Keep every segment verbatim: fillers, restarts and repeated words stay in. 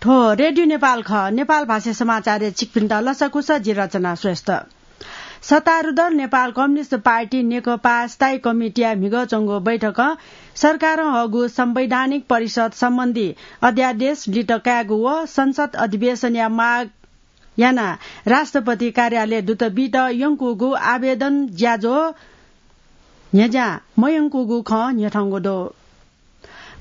हो, रेडियो नेपाल खः। नेपाल भाषा समाचारय् छिकपिन्त लसकुस, जि रचना श्रेष्ठ। सत्तारूढ नेपाल कम्युनिस्ट पार्टी नेकपा स्थायी कमिटीया म्हिगः च्वंगु बैठकं सरकारं हःगु संवैधानिक परिषद सम्बन्धी अध्यादेश लित कायेगु व संसद अधिवेशनया माग यानाः राष्ट्रपति कार्यालय दूत बीत यंकूगु आवेदन ज्याझ्वः न्ह्यज्यां मयंकूगु खँ न्ह्यथंगु दु।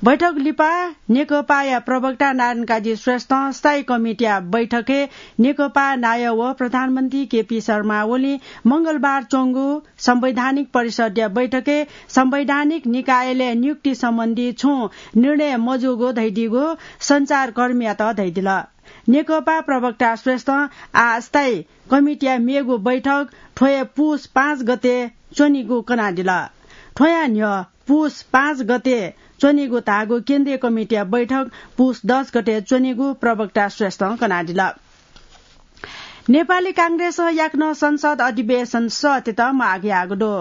बैठक लिपा नेकपाया प्रवक्ता नारायण काजी श्रेष्ठं स्थायी कमिटीया बैठकय् नेकपा नायः व प्रधानमन्त्री केपी शर्मा ओलीं मंगलबार च्वंगु संवैधानिक परिषदया बैठकय् संवैधानिक निकायलय् नियुक्ति सम्बन्धी छुं निर्णय मजूगु धयादीगु सञ्चारकर्मीयात धयादिल। नेकपा प्रवक्ता श्रेष्ठं आः स्थायी कमिटीया मेगु बैठक थ्व हे पुस पाँच गते च्वनीगु कनादिल। थ्वया न्ह्यः पुस पाँच गते च्वनीगु धाःगु केन्द्रीय कमिटीया बैठक पुस दस गते च्वनीगु प्रवक्ता श्रेष्ठं कनादिल। नेपाली कांग्रेसं याकनं संसद अधिवेशन सःतेत माग याःगु दु।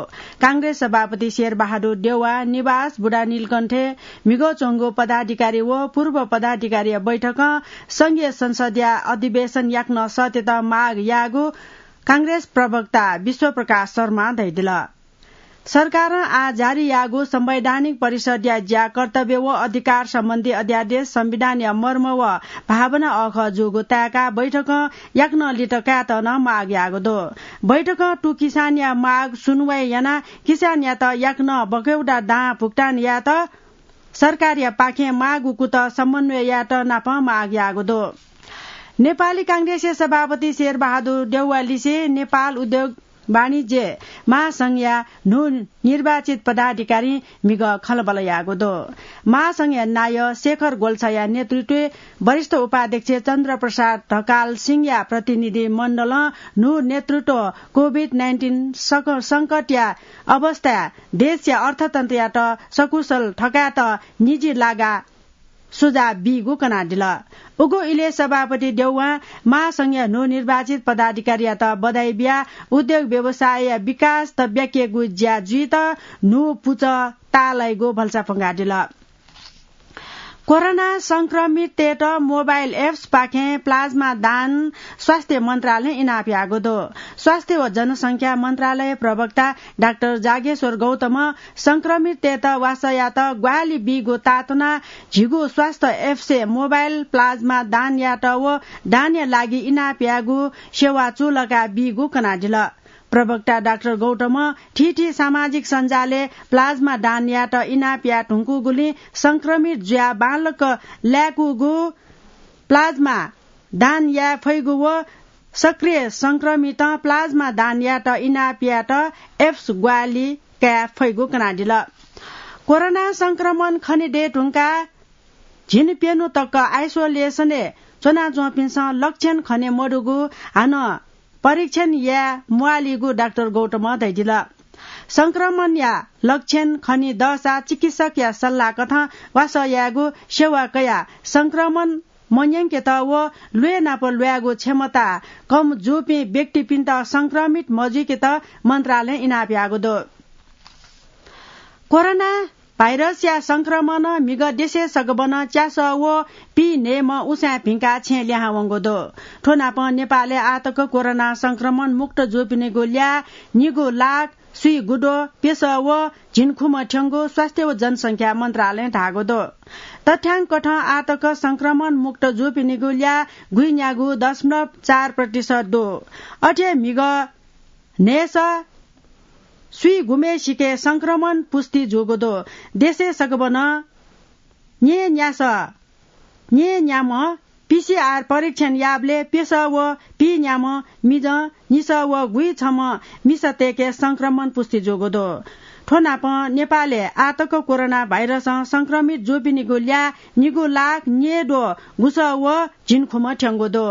कांग्रेस सभापति शेरबहादुर देउवा निवास बुढानीलकण्ठय् म्हिगः च्वंगु पदाधिकारी व पूर्व पदाधिकारीया बैठकं संघीय संसदया अधिवेशन याकनं सःतेत माग याःगु कांग्रेस प्रवक्ता विश्वप्रकाश शर्मां धयादिल। सरकारं आः जारी याःगु संवैधानिक परिषदया ज्या, कर्तव्य व अधिकार सम्बन्धी अध्यादेश संविधानया मर्म व भावना अःखः जूगु ताय्काः बैठकं याकनं लित कायेत नं माग याःगु दु। बैठकं तुकिसानया माग सुनुवाइ यानाः किसानयात याकनं बकौटा दां भुक्तान यायेत सरकारयापाखें माःगु कुतः समन्वय यायेत नापं माग याःगु दु। नेपाली कांग्रेसया सभापति शेरबहादुर देउवालिसे नेपाल उद्योग वाणिज्य महासंघया न्हू निर्वाचित पदाधिकारीं म्हिगः खँल्हाबल्हा याःगु दु। महासंघया नायः शेखर गोल्छाया नेतृत्वय् वरिष्ठ उपाध्यक्ष चन्द्रप्रसाद ढकाल सिंहया प्रतिनिधि मण्डलं न्हू नेतृत्व कोभिड नाइन्टिन सक-, संकटया अवस्थाय् देशया अर्थतन्त्रयात सकुशल थकायेत निजी लागा सुझाव बीगु कनादिल। उगु इलय् सभापति देउवां महासंघया न्हू निर्वाचित पदाधिकारीयात बधाई बियाः उद्योग व्यवसायया विकास तब्याकेगु ज्या जुइत न्हू पुचः ताःलाइगु भलसा फ्वंकादिल। कोरोना संक्रमिततय्त मोबाइल एप्सपाखें प्लाज्मा दान स्वास्थ्य मन्त्रालयं इनाप याःगु दु। स्वास्थ्य व जनसंख्या मन्त्रालय प्रवक्ता डाक्टर जागेश्वर गौतमं संक्रमिततय्त वासःयात ग्वाहालि बीगु ताःतुनाः झीगु स्वास्थ्य एप्सय् मोबाइल प्लाज्मा दान यायेत व दानया लागि इनाप यायेगु सेवा चूलाका बीगु कनादिल। प्रवक्ता डाक्टर गौतमं थीथी सामाजिक सञ्जालय् प्लाज्मा दान यायेत इनाप याये धुंकूगुलिं संक्रमित जुयाः बांलाक लाय्कूगु प्लाज्मा दान याये फइगु व सक्रिय संक्रमितं प्लाज्मा दान यायेत इनाप यायेत एप्स ग्वाहालि काये फइगु कनादिल। कोरोना संक्रमण खने दये धुंकाः झिंप्यन्हु तक आइसोलेसनय् च्वनाच्वंपिन्सं लक्षण खने मदुगु हानं परीक्षण याये म्वालीगु डाक्टर गौतमं धयादिल। संक्रमणया लक्षण खने दःसा चिकित्सकया सल्लाह कथं वासः यायेगु, सेवा कयाः संक्रमण मन्यंकेत व ल्वय् नाप ल्वायेगु क्षमता कम जूपिं व्यक्तिपिन्त संक्रमित मजुइकेत मन्त्रालयं इनाप याःगु दु। कोरोना भाइरसया संक्रमणं म्हिगः देशय् सकभनं च्यासः व पीन्हय्म्ह उसाँय् भिंकाः छेँ लिहां वंगु दु। थ्व नापं नेपालय् आःतक कोरोना संक्रमण मुक्त जूपिनिगु ल्याः निगू लाख स्वीगुद्वः प्यसः व झिंखुम्ह थ्यंगु स्वास्थ्य व जनसंख्या मन्त्रालयं धाःगु दु। तथ्याङ्कथं आःतक संक्रमण मुक्त जूपिनिगु ल्याः गुइन्यागू दशमलव चार प्रतिशत दु। अथे म्हिगः न्हय्सः स्वीगुम्हेसिके संक्रमण पुष्टि जूगु दु। देशय् सकभनं न्यय्न्यासः न्यय्न्याम्ह पीसीआर परीक्षण याःबलय् प्यसः व पीन्याम्ह मिजं निसः व गुइछम्ह मिसातय्के संक्रमण पुष्टि जूगु दु। थ्व नापं नेपालय् आःतक कोरोना भाइरसं संक्रमित जूपिनिगु ल्याः निगू लाख न्यय्द्वः गुसः व झिंखुम्ह थ्यंगु दु।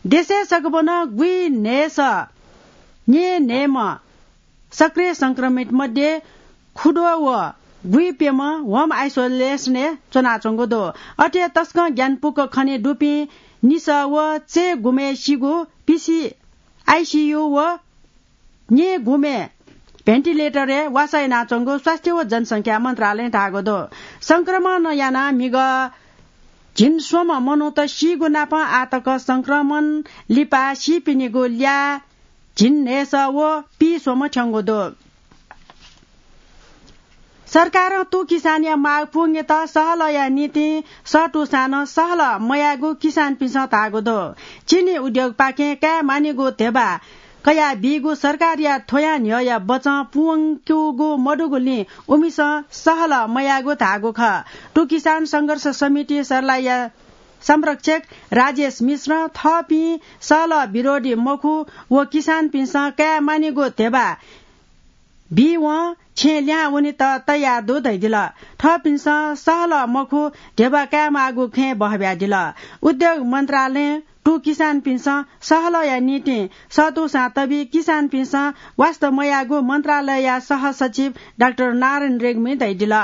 देशय् सकभनं गुइन्हय्सः न्यय्न्हय्म्ह सक्रिय संक्रमित मध्ये खुद्वः व गुइप्यम्ह होम आइसोलेसनय् च्वनाच्वंगु दु। अथे तसकं ग्यानापुक खने दुपिं निसः व चय्गुम्हेसिगु पीसी आइसीयू व न्यय्गुम्हे भेन्टिलेटरय् वासः यानाच्वंगु स्वास्थ्य व जनसंख्या मन्त्रालयं धाःगु दु। संक्रमण यानाः म्हिगः झिंस्वम्ह मनूत सीगु नापं आःतक संक्रमण लिपा सीपिनिगु ल्याः झिंन्हय्‌सः व पीस्वम्ह थ्यंगु दु। सरकारं तुं किसानया माग पुवंकेत सहलया निंतिं सःतूसां नं सहल मयाःगु किसानपिन्सं धाःगु दु। चिनी उद्योगपाखें काये मानिगु ध्यबा कयाबीगु सरकारया थ्वयां न्ह्यःया बचं पुवंकूगु मदुगुलिं उमिसं सहल मयाःगु धाःगु खः। तुं किसान संघर्ष समिति सर्लाहीया संरक्षक राजेश मिश्रं थःपिं सहल विरोधी मखु व किसानपिन्सं काये मानिगु ध्यबा बीवं छेँ लिहां वनेत तयार दु धयादिल। थःपिन्सं सहल मखु ध्यबा कायेमाःगु खँय् बहब्यादिल। उद्योग मन्त्रालयं तुं किसानपिन्सं सहलया निंतिं सःतूसां तबि किसानपिन्सं वास्ता मयाःगु मन्त्रालयया सहसचिव डाक्टर नारायण रेग्मीं धयादिल।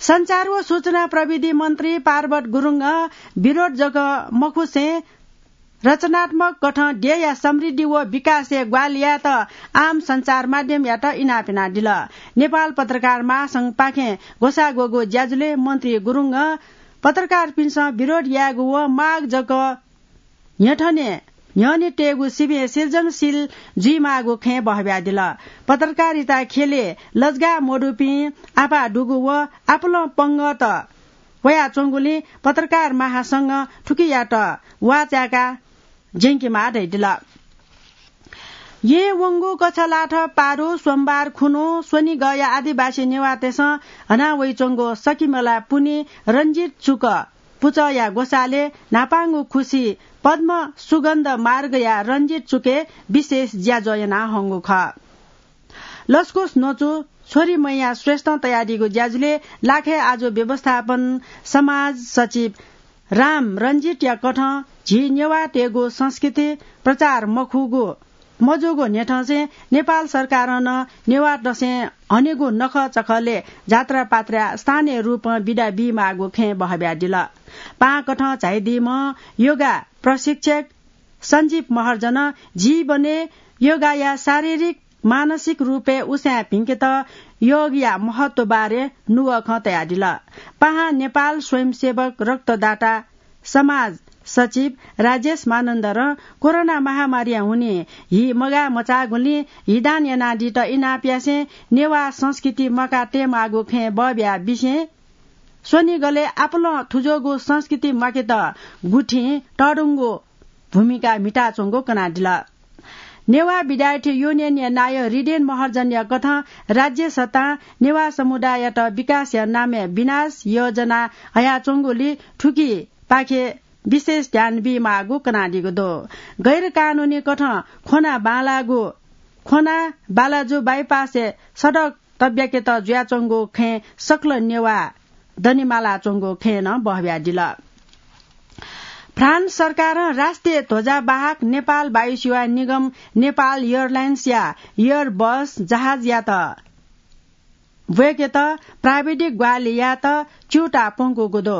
सञ्चार व सूचना प्रविधि मन्त्री पार्वत गुरुङं विरोध जक मखुसें रचनात्मक कथं देय्‌या समृद्धि व विकासय् ग्वाहालि यायेत आम सञ्चार माध्यमयात इनाप यानादिल। नेपाल पत्रकार महासंघपाखें ग्वसाः ग्वःगु ज्याझ्वलय् मन्त्री गुरुङं पत्रकारपिन्सं विरोध यायेगु व माग जक न्ह्यथने न्ह्यःने तयेगु सिबें सृजनशील जुइमाःगु खँय् बहब्यादिल। पत्रकारिता ख्यलय् लजगाः मदुपिं आपाः दुगु व आपालं पंगःत वयाच्वंगुलिं पत्रकार महासंघं थुकियात वाःचाय्‌काः ज्यंकेमाः धयादिल। येँ वंगु कछलाथ पारु सोमबार खुन्हु स्वनिगःया आदिवासी नेवाःतय्‌सं हना वइच्वंगु सकिमला पुन्हि रंजित चुक पुचःया ग्वसालय् न्हापांगु खुसि पद्म सुगन्ध मार्गया रंजित चुकय् विशेष ज्याझ्वः याना हंगु खः। लसकुस न्वचु छोरी मैया श्रेष्ठं तयादीगु ज्याझ्वलय् लाखे आजु व्यवस्थापन समाज सचिव राम रंजितया कथं झी नेवाःतय्‌गु संस्कृति प्रचार मखुगु मजूगु न्ह्यथंसें नेपाल सरकारं नं नेवाः दसय् हनेगु नखःचखलय् जात्रापात्रा स्थानीय रूपं बिदा बीमाःगु खँय् बहब्यादिल। पाहां कथं झाइदीम्ह योगा प्रशिक्षक सञ्जीव महर्जनं जीवनय् योगाया शारीरिक मानसिक रूपय् उसाँय् भिंकेत योगया महत्व बारे नुगः खँ तयादिल। पाहां नेपाल स्वयंसेवक रक्तदाता समाज सचिव राजेश मानन्धरं कोरोना महामारीया हुनिं हि मगाः मचाःगुलिं हि दान यानादीत इनाप यासें नेवाः संस्कृति म्वाका तयेमाःगु खँय् बहब्याः बिसें स्वनिगलय् आपालं थुज्वःगु संस्कृति म्वाकेत गुथिं तःधंगु भूमिका म्हिताच्वंगु कनादिल। नेवाः विद्यार्थी युनियनया नायः हृदेन महर्जनया कथं राज्य सत्तां नेवाः समुदाययात विकासया नामय् विनाश योजना हयाच्वंगुलिं थुकिपाखे विशेष ध्यान बीमाःगु कनादीगु दु। गैर कानुनी कथं ख्वना बांलाःगु ख्वना बालाजु बाइपासय् सडक तब्याकेत जुयाच्वंगु खँय् सकल नेवाः दनेमालाच्वंगु खँय् नं बहब्यादिल। फ्रान्स सरकारं राष्ट्रिय ध्वजावाहक नेपाल वायुसेवा निगम नेपाल एयरलाइन्सया एयरबस जहाजयात ब्वय्‌केत प्राविधिक ग्वाहालि यायेत च्यूताः प्वंकूगु दु।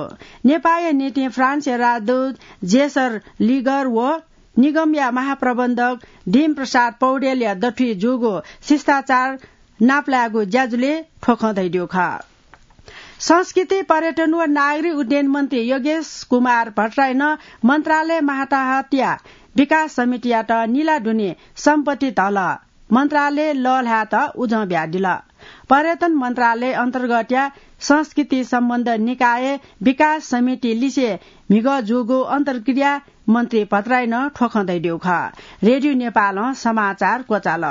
नेपाःया निंतिं फ्रान्सया राजदूत जेसर लिगर व निगमया महाप्रबन्धक दीम प्रसाद पौडेलया दथुइ जूगु शिष्टाचार नापलायेगु ज्याझ्वलय् थ्व खँ धयादीगु खः। संस्कृति, पर्यटन व नागरिक उड्डयन मन्त्री योगेश कुमार भट्टराईं मन्त्रालय माताहतया विकास समितियात निला दुने सम्पत्ति धल मन्त्रालय लःल्हायेत उजं बियादिल। पर्यटन मन्त्रालय अन्तर्गतया संस्कृति सम्बन्ध निकाय विकास समिति लिसे म्हिगः जूगु अन्तर्क्रिया मन्त्री भट्टराईं थ्व खँ धयादीगु खः। रेडियो नेपालं समाचार क्वचाल।